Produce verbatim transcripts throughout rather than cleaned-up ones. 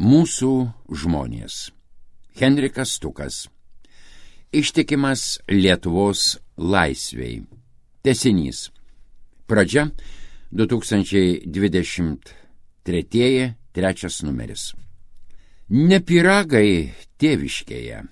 Mūsų žmonės. Henrikas Stukas. Ištikimas Lietuvos laisvei. Tęsinys. Pradžia du tūkstančiai dvidešimt trečiieji, trečias numeris. Ne pyragai tėviškėje.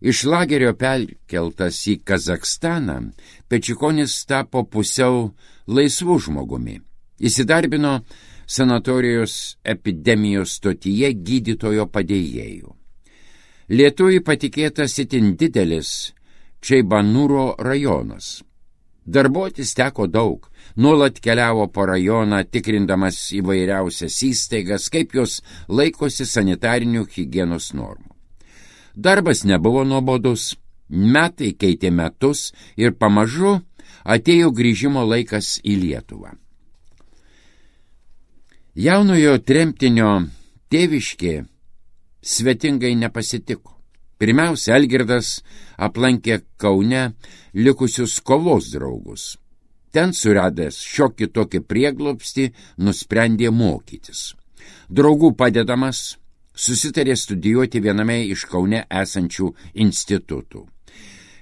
Iš lagerio perkeltas į Kazakstaną, Pečikonis tapo pusiau laisvų žmogumi. Įsidarbino sanatorijos epidemijos stotyje gydytojo padėjėjų. Lietuvai patikėtas itin didelis Čeibanūro rajonas. Darbuotis teko daug, nuolat keliavo po rajoną, tikrindamas įvairiausias įstaigas, kaip jos laikosi sanitarinių higienos normų. Darbas nebuvo nuobodus, metai keitė metus ir pamažu atėjo grįžimo laikas į Lietuvą. Jaunojo tremtinio tėviškė svetingai nepasitiko. Pirmiausia, Algirdas aplankė Kaune likusius kovos draugus. Ten suradęs šiokį tokį prieglobstį, nusprendė mokytis. Draugų padedamas susitarė studijuoti viename iš Kaune esančių institutų.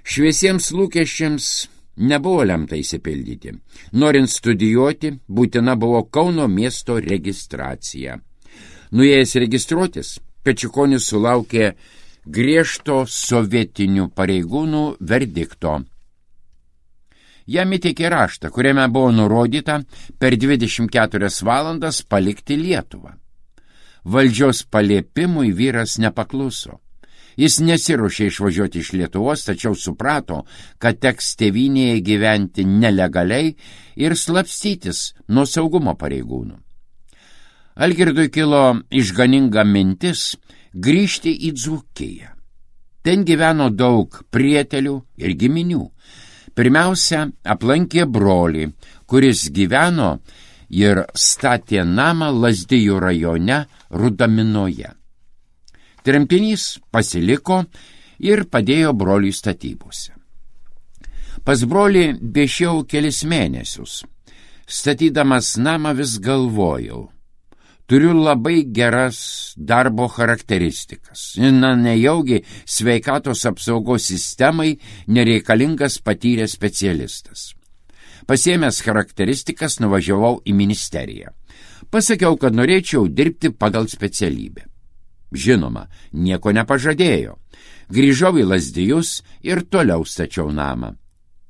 Šviesiems lūkesčiams nebuvo lemta įsipildyti. Norint studijuoti, būtina buvo Kauno miesto registracija. Nuėjęs registruotis, Pečikonis sulaukė griežto sovietinių pareigūnų verdikto. Jam įteikė raštą, kuriame buvo nurodyta per dvidešimt keturias valandas palikti Lietuvą. Valdžios paliepimui vyras nepakluso. Jis nesiruošė išvažiuoti iš Lietuvos, tačiau suprato, kad teks tėvynėje gyventi nelegaliai ir slapstytis nuo saugumo pareigūnų. Algirdui kilo išganinga mintis grįžti į Dzūkiją. Ten gyveno daug prietelių ir giminių. Pirmiausia, aplankė brolį, kuris gyveno ir statė namą Lazdijų rajone Rudaminoje. Tremtinys pasiliko ir padėjo broliui statybose. Pas brolį viešėjau kelis mėnesius. Statydamas namą vis galvojau, turiu labai geras darbo charakteristikas. Na, nejaugi sveikatos apsaugos sistemai nereikalingas patyręs specialistas. Pasiėmęs charakteristikas, nuvažiavau į ministeriją. Pasakiau, kad norėčiau dirbti pagal specialybę. Žinoma, nieko nepažadėjo. Grįžau į Lazdijus ir toliau stačiau namą.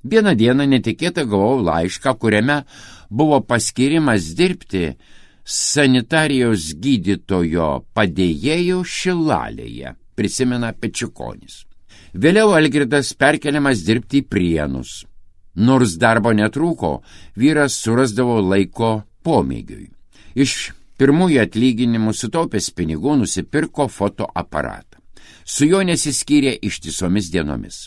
Vieną dieną netikėtai gavau laišką, kuriame buvo paskirimas dirbti sanitarijos gydytojo padėjėjų Šilalėje, prisimena Pečikonis. Vėliau Algirdas perkeliamas dirbti į Prienus. Nors darbo netrūko, vyras surasdavo laiko pomėgiui. Iš pirmųjų atlyginimų sutaupęs pinigų nusipirko fotoaparatą. Su juo nesiskyrė ištisomis dienomis.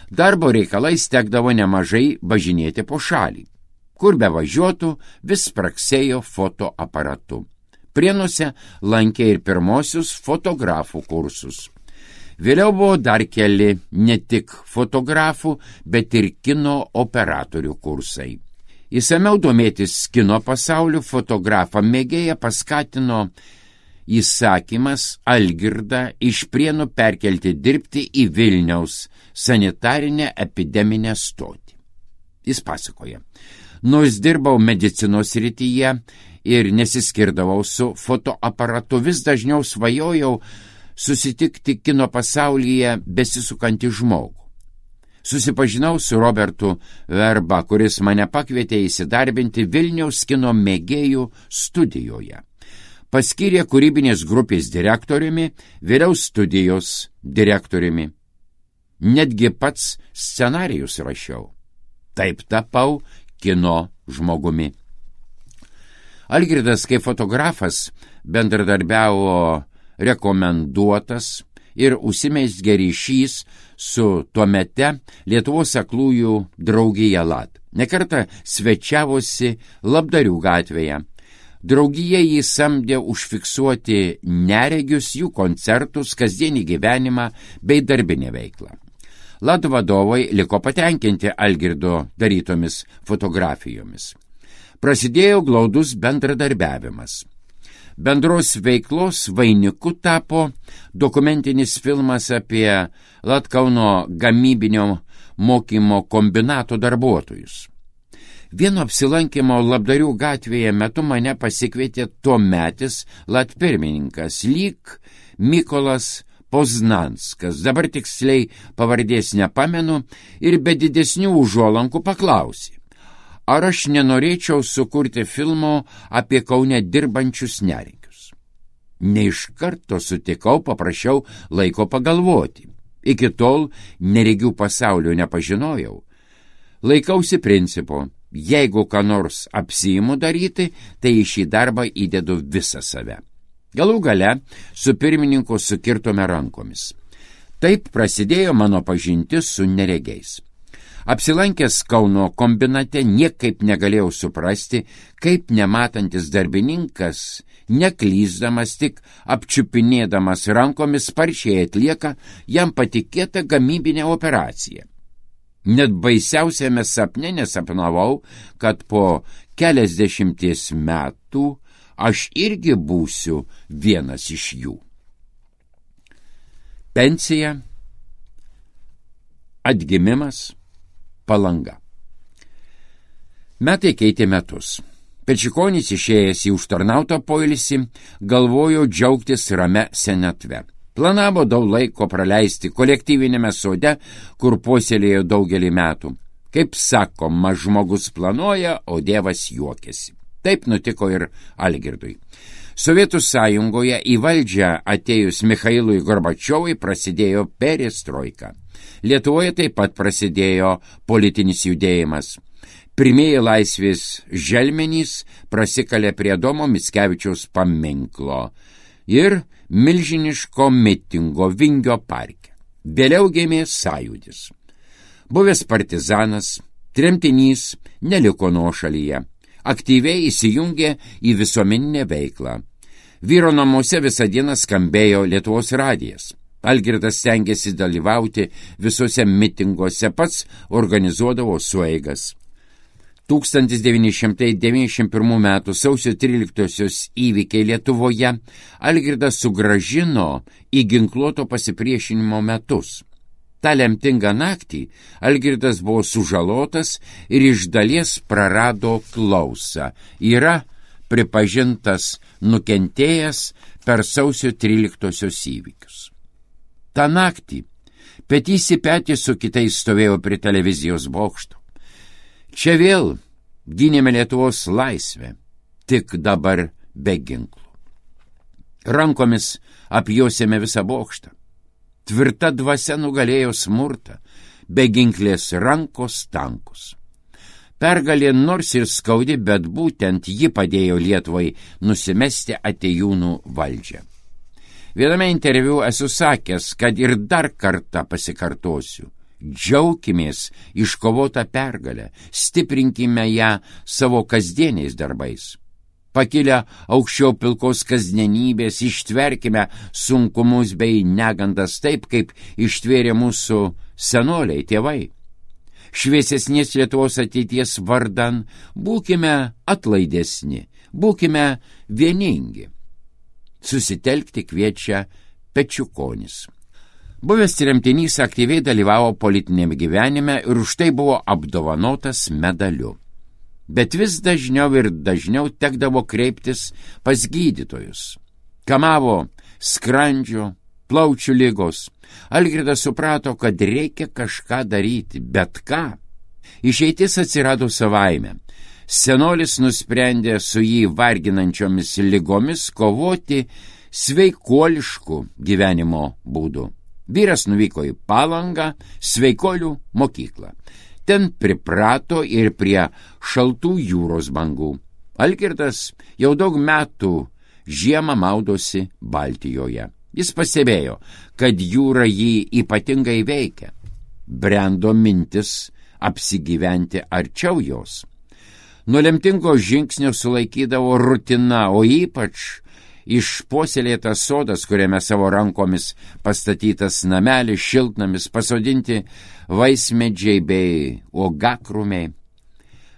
Darbo reikalais tekdavo nemažai važinėti po šalį. Kur be važiuotų, vis spraksėjo fotoaparatu. Prienuose lankė ir pirmosius fotografų kursus. Vėliau buvo dar keli ne tik fotografų, bet ir kino operatorių kursai. Įsamiau domėtis kino pasauliu fotografą mėgėją paskatino įsakymas Algirdą iš Prienų perkelti dirbti į Vilniaus sanitarinę epideminę stotį. Jis pasakoja, nors dirbau medicinos srityje ir nesiskirdavau su fotoaparatu, vis dažniau svajojau susitikti kino pasaulyje besisukantį žmogų. Susipažinau su Robertu Verba, kuris mane pakvietė įsidarbinti Vilniaus kino mėgėjų studijoje. Paskyrė kūrybinės grupės direktoriumi, vėliau studijos direktoriumi. Netgi pats scenarijus rašiau. Taip tapau kino žmogumi. Algirdas kaip fotografas bendradarbiavo rekomenduotas ir užsimezgė ryšys su tuomete Lietuvos aklųjų draugija Lat. Nekartą svečiavosi Labdarių gatvėje. Draugija jį samdė užfiksuoti neregius, jų koncertus, kasdienį gyvenimą bei darbinę veiklą. Lat vadovai liko patenkinti Algirdo darytomis fotografijomis. Prasidėjo glaudus bendradarbiavimas. Bendros veiklos vainiku tapo dokumentinis filmas apie Latkauno gamybinio mokymo kombinato darbuotojus. Vieno apsilankimo Labdarių gatvėje metu mane pasikvietė tuometis latpirmininkas lyg Mykolas Poznanskas, dabar tiksliai pavardės nepamenu, ir be didesnių užuolankų paklausė, ar aš nenorėčiau sukurti filmo apie Kaune dirbančius neregius. Ne iš karto sutikau, paprašiau laiko pagalvoti. Iki tol neregių pasaulio nepažinojau. Laikausi principo, jeigu ką nors apsiimu daryti, tai į šį darbą įdedu visą save. Galų gale su pirmininku sukirtome rankomis. Taip prasidėjo mano pažintis su neregiais. Apsilankęs Kauno kombinate niekaip negalėjau suprasti, kaip nematantis darbininkas, neklysdamas tik apčiupinėdamas rankomis sparčiai atlieka jam patikėtą gamybinę operaciją. Net baisiausiame sapne nesapnavau, kad po keliasdešimties metų aš irgi būsiu vienas iš jų. Pensija, atgimimas, Palanga. Metai keitė metus. Pečikonis išėjęs į užtarnautą poilsį galvojo džiaugtis rame senatve. Planavo daug laiko praleisti kolektyvinėme sode, kur puoselėjo daugelį metų. Kaip sakoma, žmogus planuoja, o Dievas juokiasi. Taip nutiko ir Algirdui. Sovietų sąjungoje į valdžią atėjus Michailui Gorbačiovui prasidėjo perestroika. Lietuvoje taip pat prasidėjo politinis judėjimas. Pirmieji laisvės želmenys prasikalė prie Adomo Mickevičiaus paminklo ir milžiniško mitingo Vingio parke. Vėliau gimė sąjūdis. Buvęs partizanas, tremtinys neliko nuošalyje. Aktyviai įsijungė į visuomeninę veiklą. Vyro namuose visą dieną skambėjo Lietuvos radijas. Algirdas stengėsi dalyvauti visuose mitinguose, pats organizuodavo sueigas. tūkstantis devyni šimtai devyniasdešimt pirmų metų sausio tryliktosios įvykiai Lietuvoje Algirdas sugrąžino į ginkluoto pasipriešinimo metus. Ta lemtingą naktį Algirdas buvo sužalotas ir iš dalies prarado klausą. Yra pripažintas nukentėjęs per sausio tryliktosios įvykius. Ta naktį petys į petį su kitais stovėjo prie televizijos bokšto. Čia vėl gynėme Lietuvos laisvę, tik dabar be ginklų. Rankomis apjuosėme visą bokštą. Tvirta dvasia nugalėjo smurtą, be ginklės rankos tankus. Pergalė nors ir skaudi, bet būtent ji padėjo Lietuvai nusimesti atėjūnų valdžią. Viename interviu esu sakęs, kad ir dar kartą pasikartosiu. Džiaukimės iškovotą pergalę, stiprinkime ją savo kasdieniais darbais. Pakilę aukščiau pilkos kasdienybės, ištverkime sunkumus bei negandas taip, kaip ištvėrė mūsų senoliai, tėvai. Šviesesnės Lietuvos ateities vardan būkime atlaidesni, būkime vieningi. Susitelkti kviečia Pečikonis. Buvęs tremtinys aktyviai dalyvavo politinėme gyvenime ir už tai buvo apdovanotas medaliu. Bet vis dažniau ir dažniau tekdavo kreiptis pas gydytojus. Kamavo skrandžio, plaučių ligos. Algirdas suprato, kad reikia kažką daryti, bet ką. Išeitis atsirado savaime. Senolis nusprendė su jį varginančiomis ligomis kovoti sveikuoliškų gyvenimo būdų. Vyras nuvyko į Palangą, sveikolių mokyklą. Ten priprato ir prie šaltų jūros bangų. Algirdas jau daug metų žiemą maudosi Baltijoje. Jis pastebėjo, kad jūra jį ypatingai veikia. Brendo mintis apsigyventi arčiau jos. Nuo lemtingo žingsnio sulaikydavo rutina, o ypač išpuoselėtas sodas, kuriame savo rankomis pastatytas namelis, šiltnamis, pasodinti vaismedžiai bei uogakrūmiai.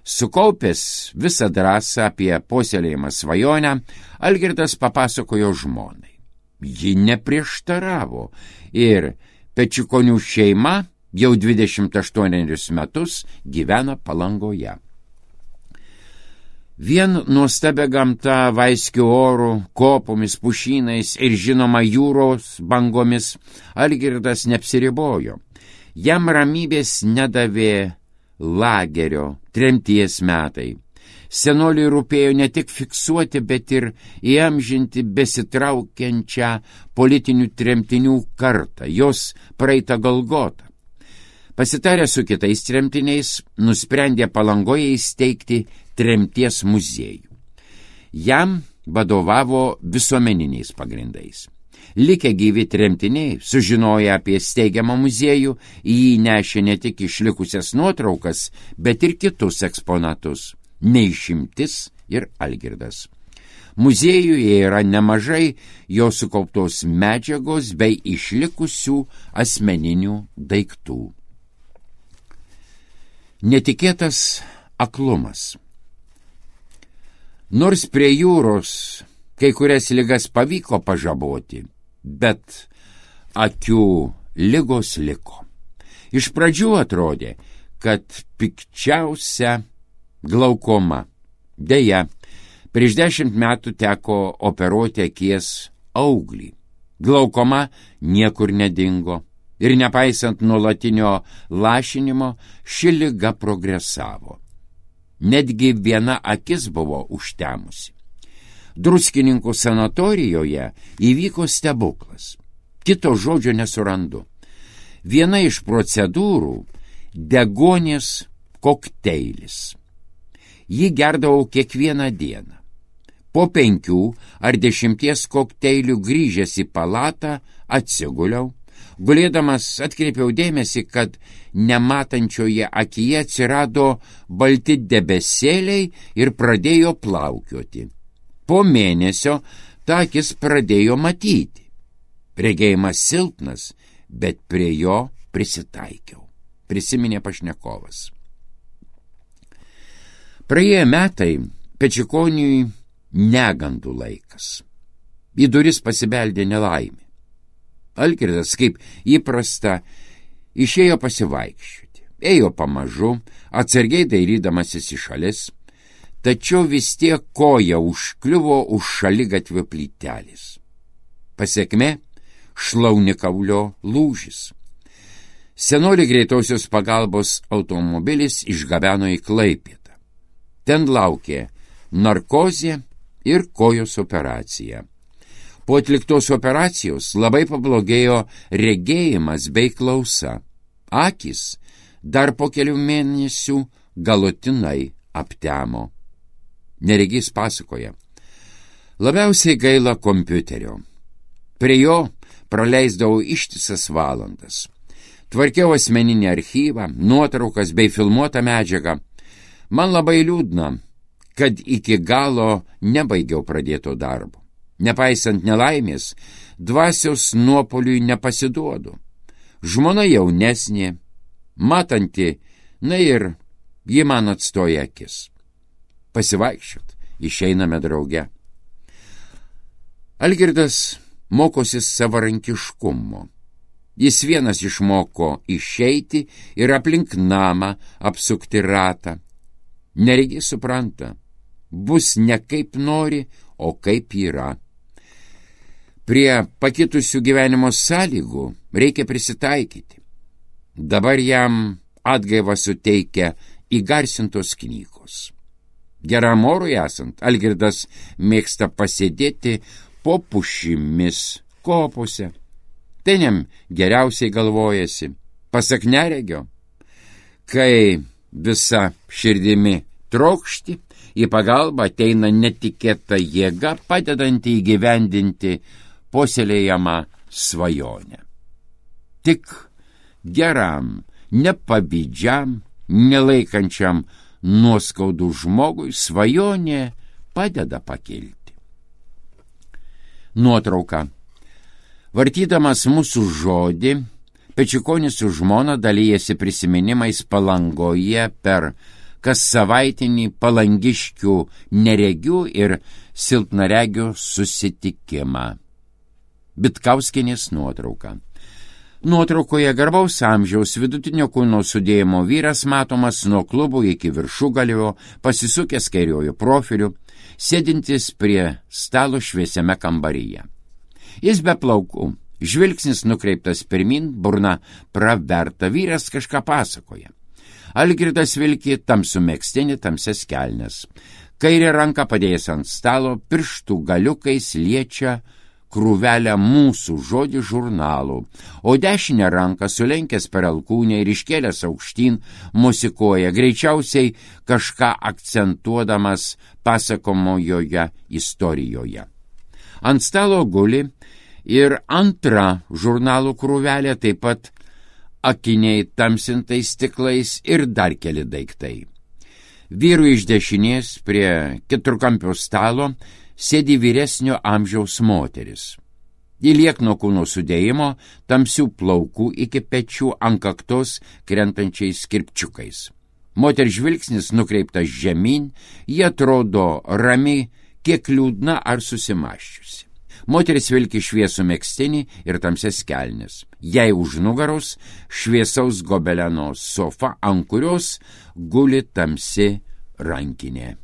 Sukaupęs visą drąsą apie puoselėjimą svajonę, Algirdas papasakojo žmonai. Ji neprieštaravo ir Pečikonių šeima jau dvidešimt aštuonerius metus gyvena Palangoje. Vien nuostabia gamta, vaiskiu oru, kopomis, pušynais ir žinoma jūros bangomis Algirdas neapsiribojo. Jam ramybės nedavė lagerio, tremties metai. Senoliui rūpėjo ne tik fiksuoti, bet ir įamžinti besitraukiančią politinių tremtinių kartą, jos praeitą Golgotą. Pasitarę su kitais tremtiniais, nusprendė Palangoje įsteigti tremties muziejų. Jam vadovavo visuomeniniais pagrindais. Likę gyvi tremtiniai, sužinoję apie steigiamą muziejų, į jį nešė ne tik išlikusias nuotraukas, bet ir kitus eksponatus, neišimtis ir Algirdas. Muziejuje yra nemažai jo sukauptos medžiagos bei išlikusių asmeninių daiktų. Netikėtas aklumas. Nors prie jūros kai kurias ligas pavyko pažaboti, bet akių ligos liko. Iš pradžių atrodė, kad pikčiausia glaukoma. Deja, prieš dešimt metų teko operuoti akies auglį. Glaukoma niekur nedingo ir nepaisant nuolatinio lašinimo, ši liga progresavo. Netgi viena akis buvo užtemusi. Druskininkų sanatorijoje įvyko stebuklas. Kito žodžio nesurandu. Viena iš procedūrų – deguonies kokteilis. Jį gerdavau kiekvieną dieną. Po penkių ar dešimties kokteilių grįžęs į palatą atsiguliau. Gulėdamas atkreipiau dėmesį, kad nematančioje akyje atsirado balti debesėliai ir pradėjo plaukioti. Po mėnesio ta akis pradėjo matyti. Regėjimas silpnas, bet prie jo prisitaikiau, prisiminė pašnekovas. Praėję metai Pečikoniui negandų laikas. Į duris pasibeldė nelaimė. Algirdas, kaip įprasta, išėjo pasivaikščioti. Ėjo pamažu, atsargiai dairydamasis į šalis, tačiau vis tiek koja užkliuvo už šaligatvio plytelės. Pasekmė – šlaunikaulio lūžis. Senolį greitosios pagalbos automobilis išgabeno į Klaipėdą. Ten laukė narkozė ir kojos operacija. Po atliktos operacijos labai pablogėjo regėjimas bei klausa. Akys dar po kelių mėnesių galutinai aptemo. Neregys pasakoja. Labiausiai gaila kompiuterio. Prie jo praleisdavau ištisas valandas. Tvarkiau asmeninį archyvą, nuotraukas bei filmuotą medžiagą. Man labai liūdna, kad iki galo nebaigiau pradėto darbo. Nepaisant nelaimės, dvasios nuopoliui nepasiduodu. Žmona jaunesnė, matanti, na ir ji man atstoja akis. Pasivaikščiot, išeiname drauge. Algirdas mokosi savarankiškumo. Jis vienas išmoko išeiti ir aplink namą apsukti ratą. Neregys supranta, bus ne kaip nori, o kaip yra. Prie pakitusių gyvenimo sąlygų reikia prisitaikyti. Dabar jam atgaivą suteikia įgarsintos knygos. Geram orui esant, Algirdas mėgsta pasėdėti po pušimis kopose. Ten jam geriausiai galvojasi, pasak neregio, kai visa širdimi trokšti, į pagalbą ateina netikėta jėga, padedanti įgyvendinti puoselėjamą svajonę. Tik geram, nepavydžiam, nelaikančiam nuoskaudų žmogui svajonė padeda pakilti. Nuotrauka. Vartydamas mūsų žodį, Pečikonis su žmona dalyjasi prisiminimais Palangoje per kas savaitinį palangiškių neregių ir silpnaregių susitikimą. Bitkauskienės nuotrauka. Nuotraukoje garbaus amžiaus vidutinio kūno sudėjimo vyras matomas nuo klubų iki viršugalvio, pasisukęs kairiojo profiliu, sėdintis prie stalo šviesiame kambaryje. Jis be plaukų, žvilgsnis nukreiptas pirmin, burna praverta, vyras kažką pasakoja. Algirdas vilki tamsų megztinį, tamsias kelnes. Kairę ranką padėjęs ant stalo, pirštų galiukais liečia krūvelę mūsų žodį žurnalų, o dešinę ranką sulenkęs per alkūnę ir iškėlęs aukštyn musikuoja, greičiausiai kažką akcentuodamas pasakomojoje istorijoje. Ant stalo guli ir antra žurnalų krūvelė, taip pat akiniai tamsintais stiklais ir dar keli daiktai. Vyrų iš dešinės prie keturkampio stalo sėdi vyresnio amžiaus moteris. Ji liekno kūno sudėjimo, tamsių plaukų iki pečių, ant kaktos krentančiais kirpčiukais. Moters žvilgsnis nukreiptas žemyn, ji atrodo rami, kiek liūdna ar susimaščiusi. Moteris vilki šviesų megztinį ir tamsias kelnes. Jai už nugaros šviesaus gobeleno sofa, ant kurios guli tamsi rankinė.